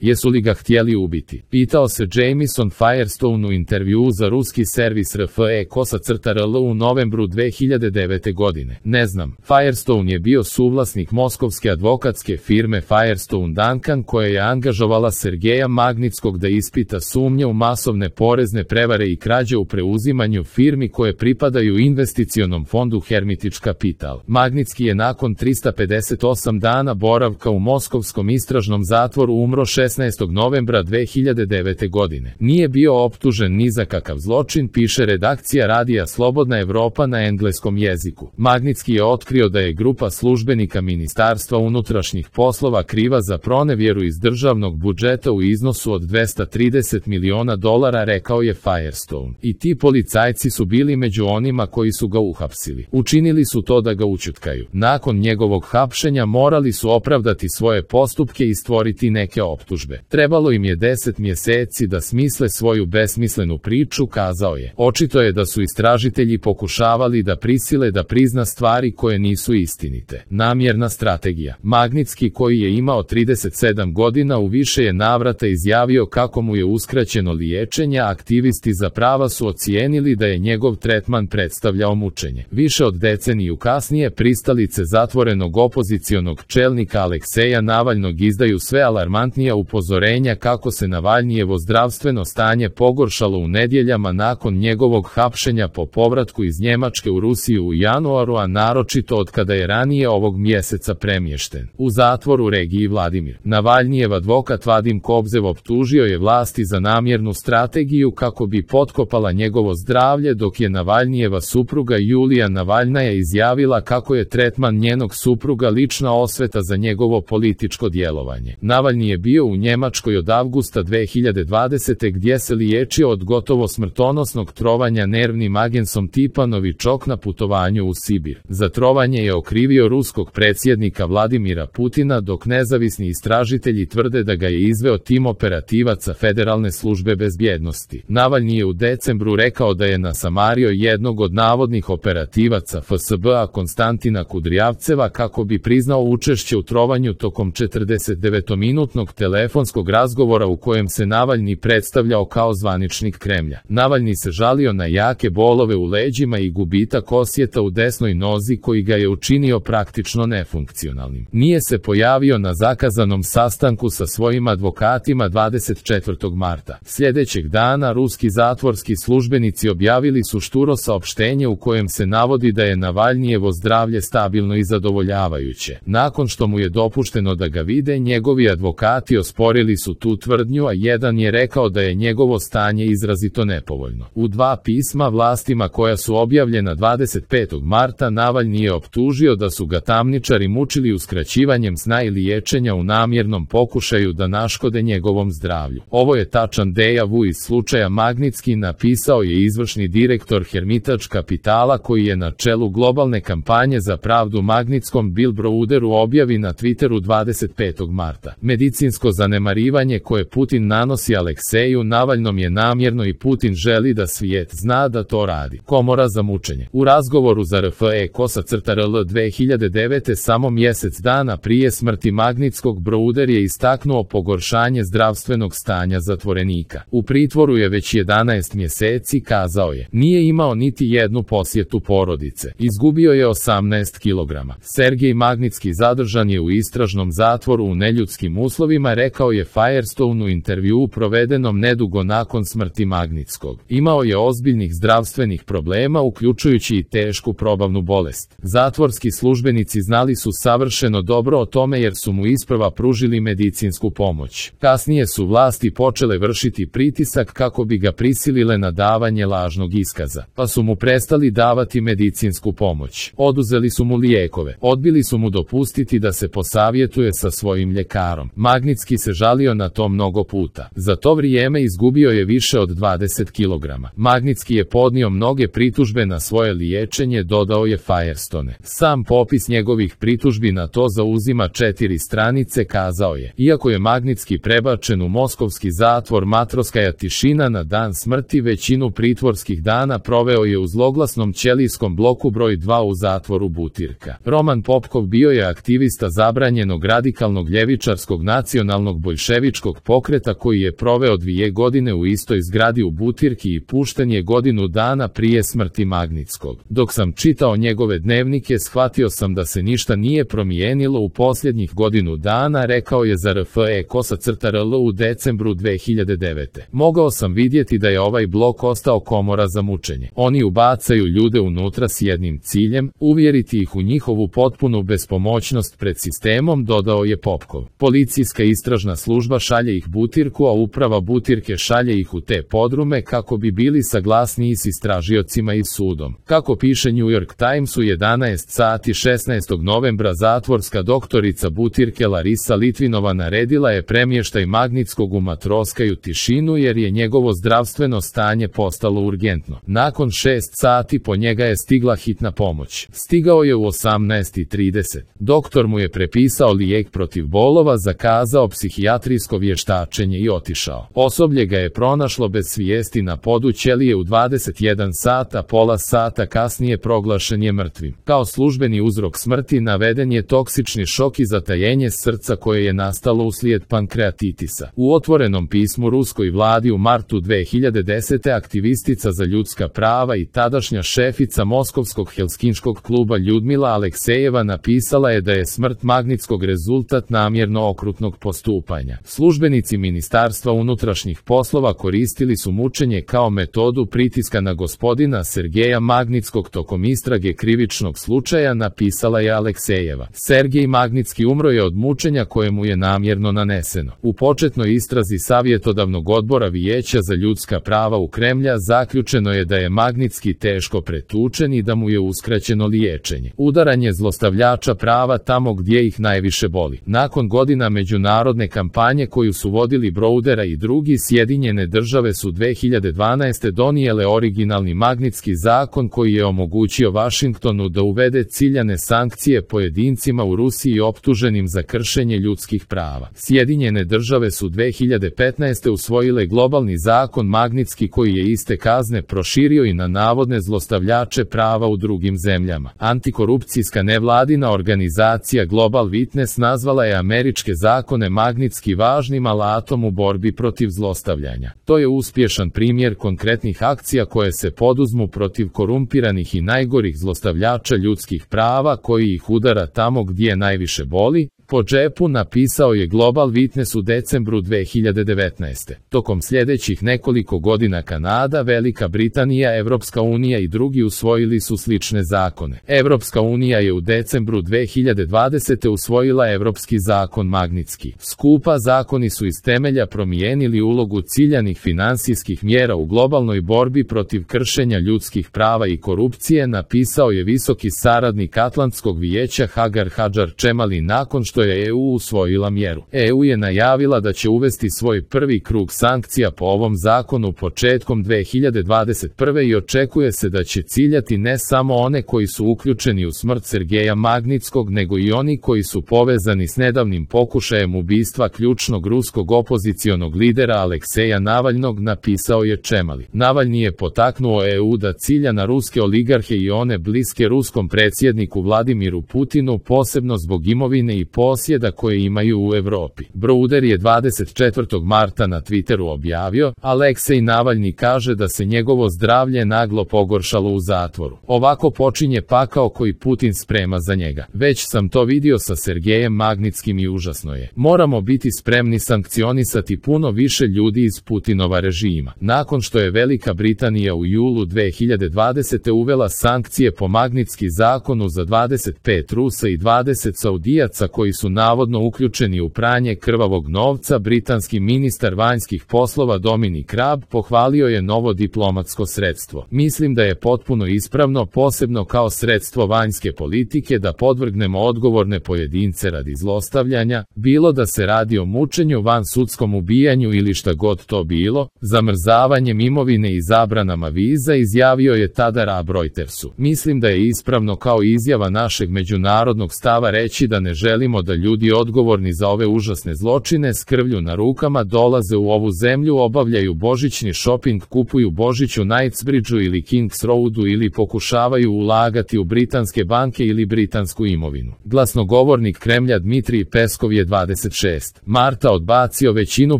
Jesu li ga htjeli ubiti? Pitao se Jamison Firestone u intervjuu za ruski servis RFE-KOSA-RL u novembru 2009. godine. Ne znam. Firestone je bio suvlasnik moskovske advokatske firme Firestone Duncan koja je angažovala Sergeja Magnitskog da ispita sumnje u masovne porezne prevare i krađe u preuzimanju firmi koje pripadaju investicionom fondu Hermitage Capital. Magnitski je nakon 358 dana boravka u moskovskom istražnom zatvoru umro 16. novembra 2009. godine. Nije bio optužen ni za kakav zločin, piše redakcija radija Slobodna Evropa na engleskom jeziku. Magnitski je otkrio da je grupa službenika Ministarstva unutrašnjih poslova kriva za pronevjeru iz državnog budžeta u iznosu od $230 miliona, rekao je Firestone. I ti policajci su bili među onima koji su ga uhapsili. Učinili su to da ga ućutkaju. Nakon njegovog hapšenja morali su opravdati svoje postupke i stvoriti neke optužbe. Trebalo im je 10 mjeseci da smisle svoju besmislenu priču, kazao je. Očito je da su istražitelji pokušavali da prisile da prizna stvari koje nisu istinite. Namjerna strategija. Magnitski, koji je imao 37 godina, u više je navrata izjavio kako mu je uskraćeno liječenje, a aktivisti za prava su ocijenili da je njegov tretman predstavljao mučenje. Više od deceniju kasnije pristalice zatvorenog opozicionog čelnika Alekseja Navalnog izdaju sve alarmantnija upozorenja kako se Navalnijevo zdravstveno stanje pogoršalo u nedjeljama nakon njegovog hapšenja po povratku iz Njemačke u Rusiju u januaru, a naročito od kada je ranije ovog mjeseca premješten u zatvor u regiji Vladimir. Navalnijev advokat Vadim Kobzev optužio je vlasti za namjernu strategiju kako bi potkopala njegovo zdravlje, dok je Navalnijeva supruga Julija Navalnaja izjavila kako je tretman njenog supruga lična osveta za njegovo političko djelovanje. Navalni je bio u Njemačkoj od avgusta 2020. gdje se liječio od gotovo smrtonosnog trovanja nervnim agensom tipa Novičok na putovanju u Sibir. Za trovanje je okrivio ruskog predsjednika Vladimira Putina, dok nezavisni istražitelji tvrde da ga je izveo tim operativaca Federalne službe bezbjednosti. Navalni je u decembru rekao da je nasamario jednog od navodnih operativaca FSB-a Konstantina Kudrijavceva kako bi priznao učešće u trovanju tokom 49-minutnog telefonskog razgovora u kojem se Navalni predstavljao kao zvaničnik Kremlja. Navalni se žalio na jake bolove u leđima i gubitak osjeta u desnoj nozi koji ga je učinio praktično nefunkcionalnim. Nije se pojavio na zakazanom sastanku sa svojim advokatima 24. marta. Sljedećeg dana ruski zatvorski službenici objavili su šturo saopštenje u kojem se navodi da je Navalnijevo zdravlje stabilno i zadovoljavajuće. Nakon što mu je dopušteno da ga vide, njegovi advokati osporili su tu tvrdnju, a jedan je rekao da je njegovo stanje izrazito nepovoljno. U dva pisma vlastima koja su objavljena 25. marta Navalni je optužio da su ga tamničari mučili uskraćivanjem sna i liječenja u namjernom pokušaju da naškode njegovom zdravlju. Ovo je tačan deja-vu iz slučaja Magnitski, napisao je izvršni direktor Hermitage Capitala koji je na čelu globalne kampanje za pravdu Magnitskom Bill Browder u objavi na Twitteru 25. marta. Medicinsko zanemarivanje koje Putin nanosi Alekseju Navalnom je namjerno i Putin želi da svijet zna da to radi. Komora za mučenje. U razgovoru za RFE-KOSA-RL 2009. samo mjesec dana prije smrti Magnitskog, Browder je istaknuo pogoršanje zdravstvenog stanja zatvorenika. U pritvoru je već 11 mjeseci, kazao je. Nije imao niti jednu posjetu porodice. Izgubio je 18 kg. Sergej Magnitski zadržan je u istražnom zatvoru u neljudskim uslovima, rekao je Firestone u intervjuu provedenom nedugo nakon smrti Magnitskog. Imao je ozbiljnih zdravstvenih problema, uključujući i tešku probavnu bolest. Zatvorski službenici znali su savršeno dobro o tome jer su mu isprva pružili medicinsku pomoć. Kasnije su vlasti počele vršiti pritisak kako bi ga prisilile na davanje lažnog iskaza, pa su mu prestali davati medicinsku pomoć. Oduzeli su mu lijekove. Odbili su mu dopustiti da se posavjetuje sa svojim ljekarom. Magnitski se žalio na to mnogo puta. Za to vrijeme izgubio je više od 20 kg. Magnitski je podnio mnoge pritužbe na svoje liječenje, dodao je Firestone. Sam popis njegovih pritužbi na to zauzima 4 stranice, kazao je. Iako je Magnitski prebačen u moskovski zatvor Matroskaja Tišina na dan smrti, većinu pritvorskih dana proveo je u zloglasnom ćelijskom bloku broj 2 u zatvoru Butirka. Roman Popkov bio je aktivista zabranjenog radikalnog ljevičarskog nacionalnog nacionalnog boljševičkog pokreta koji je proveo 2 godine u istoj zgradi u Butirki i pušten je godinu dana prije smrti Magnitskog. Dok sam čitao njegove dnevnike, shvatio sam da se ništa nije promijenilo u posljednjih godinu dana, rekao je za RFE_RL u decembru 2009. Mogao sam vidjeti da je ovaj blok ostao komora za mučenje. Oni ubacaju ljude unutra s jednim ciljem, uvjeriti ih u njihovu potpunu bespomoćnost pred sistemom, dodao je Popkov. Policijska istražna služba šalje ih Butirku, a uprava Butirke šalje ih u te podrume kako bi bili saglasniji s istražiocima i sudom. Kako piše New York Times, u 11 sati 16. novembra zatvorska doktorica Butirke Larisa Litvinova naredila je premještaj Magnitskog u Matroskaju Tišinu jer je njegovo zdravstveno stanje postalo urgentno. Nakon 6 sati po njega je stigla hitna pomoć. Stigao je u 18:30. Doktor mu je prepisao lijek protiv bolova, zakazao psihijatrijsko vještačenje i otišao. Osoblje ga je pronašlo bez svijesti na podu ćelije u 21 sat, a pola sata kasnije proglašen je mrtvim. Kao službeni uzrok smrti naveden je toksični šok i zatajenje srca koje je nastalo uslijed pankreatitisa. U otvorenom pismu ruskoj vladi u martu 2010. aktivistica za ljudska prava i tadašnja šefica Moskovskog Helsinškog kluba Ljudmila Aleksejeva napisala je da je smrt Magnitskog rezultat namjerno okrutnog postupanja. Službenici Ministarstva unutrašnjih poslova koristili su mučenje kao metodu pritiska na gospodina Sergeja Magnitskog tokom istrage krivičnog slučaja, napisala je Aleksejeva. Sergej Magnitski umro je od mučenja koje mu je namjerno naneseno. U početnoj istrazi savjetodavnog odbora Vijeća za ljudska prava u Kremlja zaključeno je da je Magnitski teško pretučen i da mu je uskraćeno liječenje. Udaranje zlostavljača prava tamo gdje ih najviše boli. Nakon godina međunarodne kampanje koju su vodili Browdera i drugi, Sjedinjene države su 2012. donijele originalni Magnitski zakon koji je omogućio Vašingtonu da uvede ciljane sankcije pojedincima u Rusiji optuženim za kršenje ljudskih prava. Sjedinjene države su 2015. usvojile globalni zakon Magnitski koji je iste kazne proširio i na navodne zlostavljače prava u drugim zemljama. Antikorupcijska nevladina organizacija Global Witness nazvala je američke zakone Magnitski važnim alatom u borbi protiv zlostavljanja. To je uspješan primjer konkretnih akcija koje se poduzmu protiv korumpiranih i najgorih zlostavljača ljudskih prava koji ih udara tamo gdje najviše boli, po džepu, napisao je Global Witness u decembru 2019. Tokom sljedećih nekoliko godina Kanada, Velika Britanija, Evropska unija i drugi usvojili su slične zakone. Evropska unija je u decembru 2020. usvojila Evropski zakon Magnitski. Skupa zakoni su iz temelja promijenili ulogu ciljanih financijskih mjera u globalnoj borbi protiv kršenja ljudskih prava i korupcije, napisao je visoki saradnik Atlantskog vijeća Hagar Hadžar Čemali nakon što je EU usvojila mjeru. EU je najavila da će uvesti svoj prvi krug sankcija po ovom zakonu početkom 2021. i očekuje se da će ciljati ne samo one koji su uključeni u smrt Sergeja Magnitskog, nego i oni koji su povezani s nedavnim pokušajem ubistva ključnog ruskog opozicionog lidera Alekseja Navalnog, napisao je Čemali. Navalni je potaknuo EU da cilja na ruske oligarhe i one bliske ruskom predsjedniku Vladimiru Putinu, posebno zbog imovine i posjeda koje imaju u Europi. Browder je 24. marta na Twitteru objavio: Aleksej Navalni kaže da se njegovo zdravlje naglo pogoršalo u zatvoru. Ovako počinje pakao koji Putin sprema za njega. Već sam to vidio sa Sergejem Magnitskim i užasno je. Moramo biti spremni sankcionisati puno više ljudi iz Putinova režima. Nakon što je Velika Britanija u julu 2020. uvela sankcije po Magnitski zakonu za 25 Rusa i 20 Saudijaca koji su navodno uključeni u pranje krvavog novca, britanski ministar vanjskih poslova Dominic Raab pohvalio je novo diplomatsko sredstvo. Mislim da je potpuno ispravno, posebno kao sredstvo vanjske politike, da podvrgnemo odgovorne pojedince radi zlostavljanja, bilo da se radi o mučenju, vansudskom ubijanju ili šta god to bilo, zamrzavanjem imovine i zabranama viza, izjavio je tada Raab Reutersu. Mislim da je ispravno kao izjava našeg međunarodnog stava reći da ne želimo da ljudi odgovorni za ove užasne zločine s krvlju na rukama dolaze u ovu zemlju, obavljaju božićni šoping, kupuju Božić u Knightsbridgeu ili Kings Roadu ili pokušavaju ulagati u britanske banke ili britansku imovinu. Glasnogovornik Kremlja Dmitrij Peskov je 26. marta odbacio većinu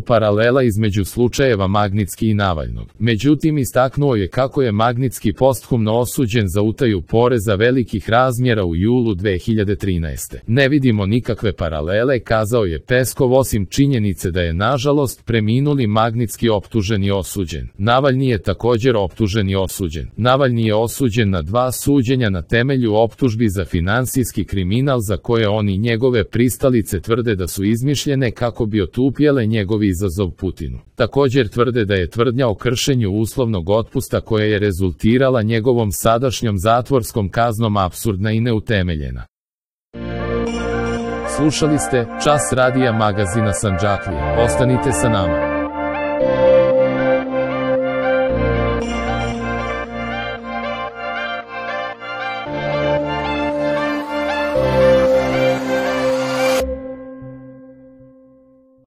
paralela između slučajeva Magnitski i Navalnog. Međutim, istaknuo je kako je Magnitski posthumno osuđen za utaju poreza velikih razmjera u julu 2013. Ne vidimo nikakve paralele, kazao je Peskov, osim činjenice da je nažalost preminuli Magnitski optužen i osuđen. Navalni je također optužen i osuđen. Navalni je osuđen na 2 suđenja na temelju optužbi za finansijski kriminal za koje on i njegove pristalice tvrde da su izmišljene kako bi otupjele njegovi izazov Putinu. Također tvrde da je tvrdnja o kršenju uslovnog otpusta koja je rezultirala njegovom sadašnjom zatvorskom kaznom apsurdna i neutemeljena. Slušali ste Čas radija magazina Sandžaklije. Ostanite sa nama.